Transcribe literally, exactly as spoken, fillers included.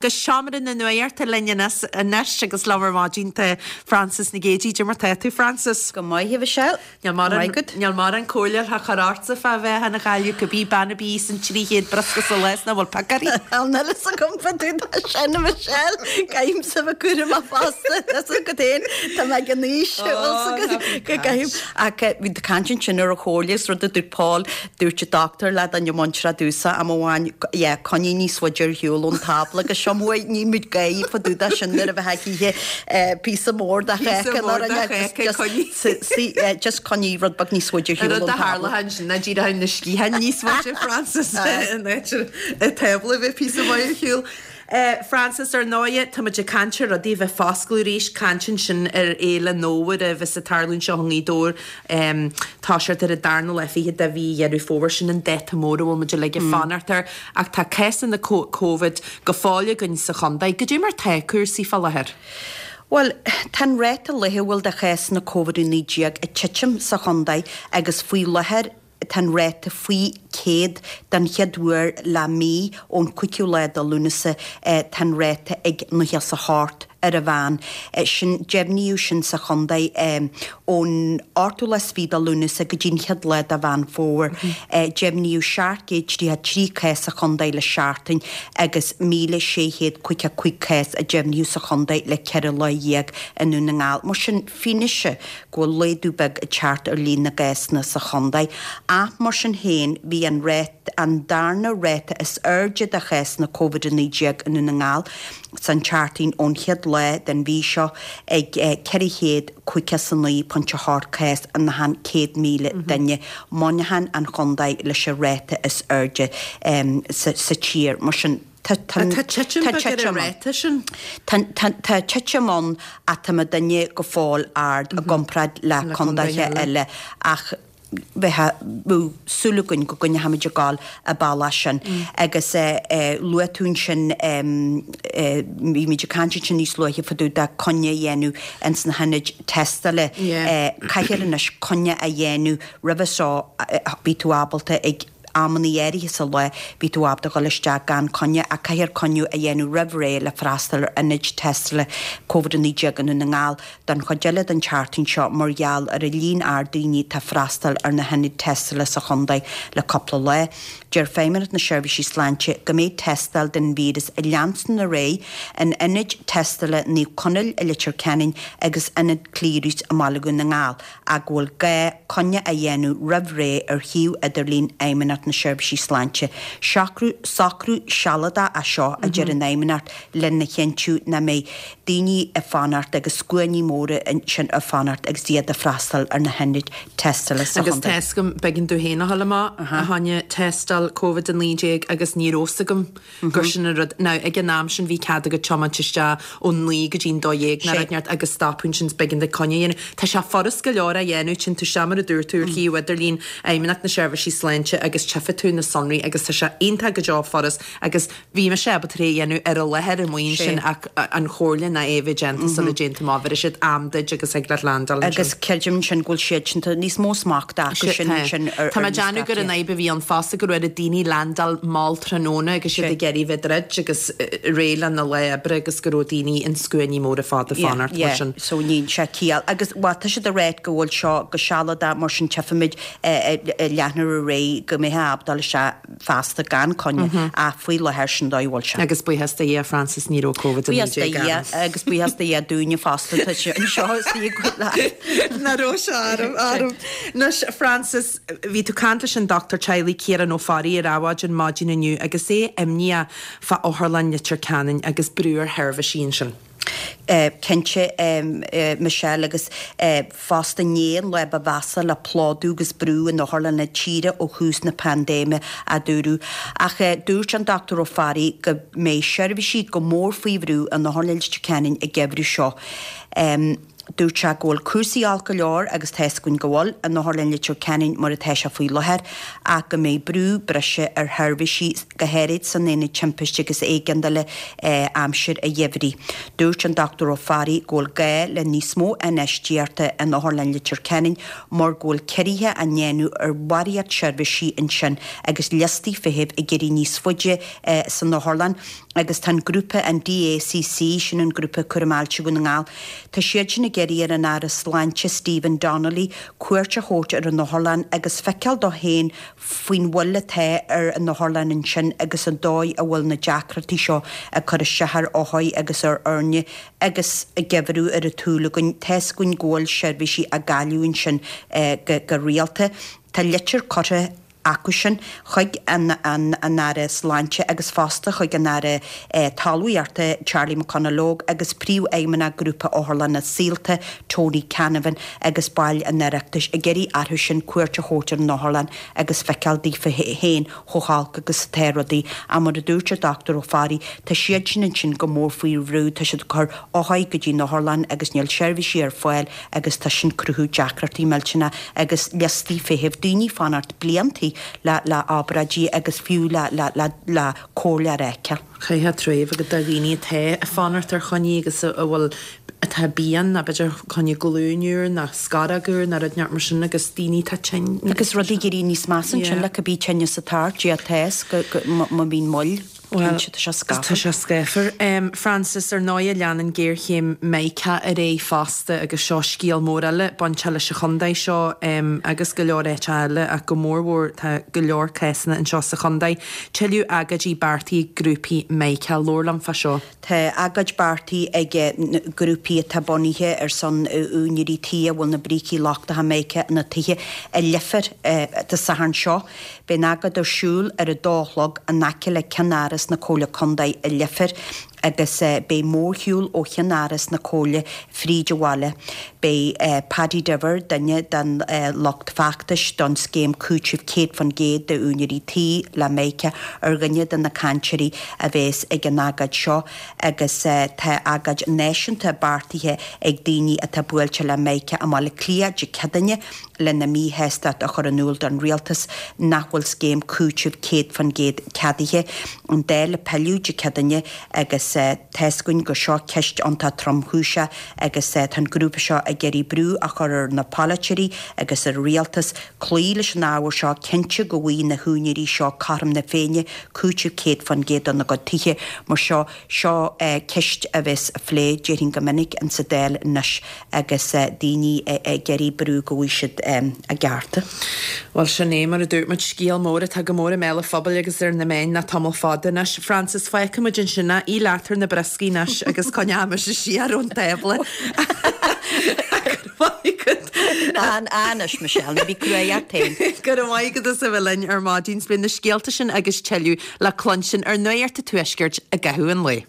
Go seomra na nuachta linn anois agus liom ar maidin tá Frances Nic Géadaigh. Cad é mar tá tú, Frances? Go maith, a Mhichelle. Níl mórán comhairle le cur ortsa fá bheith ina Ghaillimh cibé bean a bhí san trí chéad briosca sa lá nach bhfuil pic uirthi. Níl a fhios agam fá dtaobh de sin, a Michelle. Caithimse bheith cúramach fosta. Tá a fhios agat féin, tá mé ag an aois go gcaithim. Ach bhí caint ansin ar an chomhairle is rud a dúirt Paul, dúirt an doctor le duine muinteartha domhsa am amháin, yeah, coinnigh níos faide ar shiúl ón tábla agus seo uaidh ní muid gaoth fá dtaobh de sin nuair a bheith ag ithe píosa mór de cháca nó just coinnigh rud beag níos faide ar shiúl ón Rud a tábla. tharla ansin ná díreach na sciatháin níos faide, Frances, in áit an tábla a bheith píosa maith ar shiúl. Frances, ar ndóighe, tá muid ag caint ar rudaí a bheith foscladh arís, caint ansin ar Fhéile an Fhómhair a bheas ag tarlú anseo i nGaoth Dobhair, toiseacht ar an darna lá fichead de mhí Dheireadh Fómhair, sin an dáta mór a bhfuil muid uilig ag fanacht air. Ach tá cásanna Covid go fóill againn sa chontae. Goidé mar tá cúrsaí fá láthair? Bhuel, tá an ráta laethúil de chásanna Covid a naoi déag ag titim sa chontae agus faoi láthair tá an ráta faoi céad den chéad uair le mí ón cúigiú lá de Lúnasa tá an ráta ag nócha is a hocht ar an mheán. Sin deimhníodh sin sa chontae ón ochtú lá is fiche de Lúnasa go dtí an chéad lá de Mheán Fómhair. Deimhníodh seacht gcéad tríocha trí cás sa chontae le seachtain agus míle sé chéad caoga cúig cás a deimhníodh sa chontae le ceithre lá dhéag i nDún na nGall. Mar sin fianaise go bhfuil laghdú beag ag teacht ar líon na gcásanna sa chontae. Ach mar sin féin bhí an rét an darna ráta is airde de chásanna Covid a naoi déag i Ndún na nGall san tseachtain ón chéad lá den mhí seo ag ceithre chéad caoga is a naoi pointe a hocht cás in achan céad míle duine. Muineachán an chontae leis an ráta is airde sa sa tír. Mar sin tá Tá titim beag ar an ráta sin. Tá titim ann ach tá muidinne go fóill ard i gcomparáid le contaetha eile ach bheadh súil againn go gcoinneochaimid ag gabháil an bealach sin. Agus luaigh tú ansin, bhí muid ag caint ansin níos luaithe fá dtaobh de coinne a dhéanamh ins na hionaid tástála. Caithfear anois coinne a dhéanamh roimhe seo bhí tú ábalta ag amanna áirithe sa lá bhí tú ábalta dul isteach gan coinne ach caithfear coinne a dhéanamh roimh ré le freastal ar ionaid tástála Covid a naoi déag i nDún na nGall don chuid eile den tseachtain seo mar gheall ar an líon ard daoine atá ag freastal ar na hionaid tástála sa chontae le cúpla lá. Deir Feidhmeannacht na Seirbhísí Sláinte go mbeidh tástáil den víreas ag leanstan ar aghaidh in ionaid tástála Naomh Conaill i Leitir Ceanainn agus Ionad Clearys i mBaile Dhún na nGall ach go bhfuil gá coinne a dhéanamh roimh ré ar shuíomh idirlín Fheidhmeannacht na Seirbhísí Sláinte. Socrú socrú sealadach é seo, a deir an Fheidhmeannacht, lena chinntiú nach mbeidh daoine ag fanacht agus scuainí móra ansin ag fanacht agus iad ag freastal ar na hionaid tástála sa Agus chontae. tá 'fhios agam, b'éigean domh féin a dhul amach fá choinne tástáil Covid a naoi déag agus ní raibh 'fhios agam gur sin an rud. Now, ag an am sin bhí cead agat tiomáint isteach ó naoi go dtí'n dó dhéag nó rud inteacht agus stopadh ansin is b'éigean duit coinne a dhéanamh. Tá sé furast go leor a dhéanamh, téann tú isteach mar a dúirt tú ar shuíomh idirlín Fheidhmeannacht na Seirbhísí Sláinte agus tchífidh tú na sonraí agus tá sé iontach go deo furast agus bhí mise ábalta é a dhéanamh ar an láthair amuigh ansin ach an chomhairle ná é a bheith déanta sula dtéann tú amach, bhéarfaidh siad am duit agus thig leat landáil ansin. Agus creidim ansin go bhfuil siad sin, tá níos mó smachta acu sin ansin ar Tá mé ag déanamh gur an fhadhb a bhí ann fosta go raibh ar daoine landáil mall tráthnóna agus siad ag iarraidh bheith druid agus réidh lena lá oibre agus go raibh daoine in scuainí móra fada ag fanacht mar sin. So níl sé ciall. Agus bhuel tá siad ag ráit go bhfuil seo go sealadach mar sin tchífimid leathnú ar aghaidh go mbeifeá ábalta dul isteach feasta gan coinne ach faoi láthair sin dóigh a bhfuil sé. Agus buíochas do Dhia, Frances, ní raibh Covid a naoi Buíochas do déag Dhia orm. agus buíochas do Dhia dúinne fosta tá sé anseo istigh go leat. Nach raibh sé orm, orm. Anois, Frances, bhí tú ag caint leis an dochtúir teaghlaigh Ciarán Ó Fearraigh ar Adhmhaidin maidin inniu agus é imníoch fá Otharlann Leitir Ceanainn agus brú ar sheirbhísí ansin. Cinnte, Michelle, agus fosta inné an lá ba mheasa le plódú agus brú in otharlanna tíre ó thús na paindéime, a dúradh. Ach dúirt an Dochtúir Ó Fearraigh go mbeidh seirbhísí go mór faoi bhrú in Otharlann Leitir Ceanainn an geimhreadh seo. Dúirt sé go bhfuil cúrsaí olc go leor agus tá 'fhios againn go bhfuil, in Otharlann Leitir Ceanainn mar atá sé faoi láthair ach go mbeidh brú breise ar sheirbhísí, go háirid san Aonad Timpiste agus Éigeandála aimsir an gheimhridh. Dúirt an Dochtúir Ó Fearraigh go bhfuil gá le níos mó infheistíochta in Otharlann Leitir Ceanainn mar go bhfuil ciorruithe á ndéanamh ar bharraíocht seirbhísí ansin agus liostaí feithimh ag éirí níos faide san otharlann agus tá an grúpa, an DACC, sin an grúpa Cúram Ailse Dhún na nGall, tá siad sin ag iarraidh ar an Aire Sláinte Stephen Donnelly cuairt a thabhairt ar an otharlann agus feiceáil dó féin faoin mhoill atá ar an otharlann ansin agus an dóigh a bhfuil na deacrachtaí seo ag cur isteach ar othair agus ar fhoirne agus an geimhreadh ar an tsúil againn. Tá 'fhios againn go bhfuil seirbhísí á gcailleadh ansin go rialta. Tá litir curtha acu sin chuig an an Aire Sláinte agus fosta chuig an Aire Talmhaíochta Charlie McConalogue agus Príomhfheidhmeannach Grúpa Otharlanna Saolta Tony Canavan agus baill an Oireachtais ag iarraidh orthu sin cuairt a thabhairt ar an otharlann agus feiceáil daofa féin chomh holc agus atá rudaí. Ach mar a dúirt an Dochtúir Ó Fearraigh, tá siad sin ansin go mór faoi bhrú, tá siad ag cur othair go dtí an otharlann agus níl seirbhísí ar fáil agus tá sin cruthú deacrachtaí millteanna agus liostaí feithimh, daoine ag fanacht bliantaí le le obráidí agus fiú le le le le comhairle a fheiceáil. Caithfidh trua a bheith agat do dhaoine atá ag fanacht ar choinní agus a bhfuil atá pian nó b'fhéidir coinne glúin úr nó scaróg úr nó rud inteacht mar sin agus daoine atá tinn. Agus rudaí ag éirí níos measa ansin le cibé tinneas atá ort, Dia atá 'fhios go go má bhíonn moill. Bhuel, Cinnte, tá sé tá scáfar. sé scáfar. Frances, ar ndóigh, leanann géarchéim Mica ar aghaidh fosta agus seo scéal mór eile bainteach leis an chontae seo agus go leor áiteacha eile ach go mórmhór tá go leor cásanna anseo sa chontae. Tuilleadh agóidí beartaithe ag grúpaí Mica. Labhair liom fá seo. Tá agóid beartaithe ag grúpaí atá bunaithe ar son úinéirí tí a bhfuil na brící lochtacha Mica ina dtithe i Leifear Dé Sathairn seo. Beidh an agóid ar siúl ar a dó a chlog in aice le ceannáras na Comhairle Contae i Leifear agus beidh mórshiúl ó cheannáras na Comhairle fríd an bhaile. Beidh Paddy Diver, duine den lucht feachtais don scéim cúitimh céad faoin gcéad d'úinéirí tí le Mica, ar dhuine de na cainteoirí a bheas ag an agóid seo agus tá agóid náisiúnta beartaithe ag daoine atá buailte le Mica i mBaile Átha Cliath Dé Céadaoine lena míshástacht a chur in iúl don rialtas nach bhfuil scéim cúitimh céad faoin gcéad ceadaithe. An Dáil ag pilleadh Dé Céadaoine agus tá's againn gur seo ceist iontach tromchúiseach agus tá an grúpa seo ag iarraidh brú a chur ar na polaiteoirí agus ar an rialtas cloí leis an ábhar seo, cinntiú go bhfaighidh na húinéirí seo cothrom na Féinne, cúiteamh céad faoin gcéad dona gcuid tithe. Mar seo, seo ceist a bheas á phlé, déarfainn go minic, in sa Dáil anois agus daoine ag iarraidh brú go bhfaighidh siad a gcearta. Bhuel, sin é, mar a dúirt muid, scéal mór atá go mór i mbéal an phobail agus ar na meáin le tamall fada anois. Frances, fágfaidh muid ansin é, ith leat ar na brioscaí anois agus coinneoidh mise siar ón tábla. Go raibh maith agat. Ná, anois, Michelle, ná bí cruaidh ort féin. Go raibh maith agat as a bheith linn ar maidin. Beidh na scéalta sin agus tuilleadh le cluinstin ar Nuacht an Tuaiscirt i gcaitheamh an lae.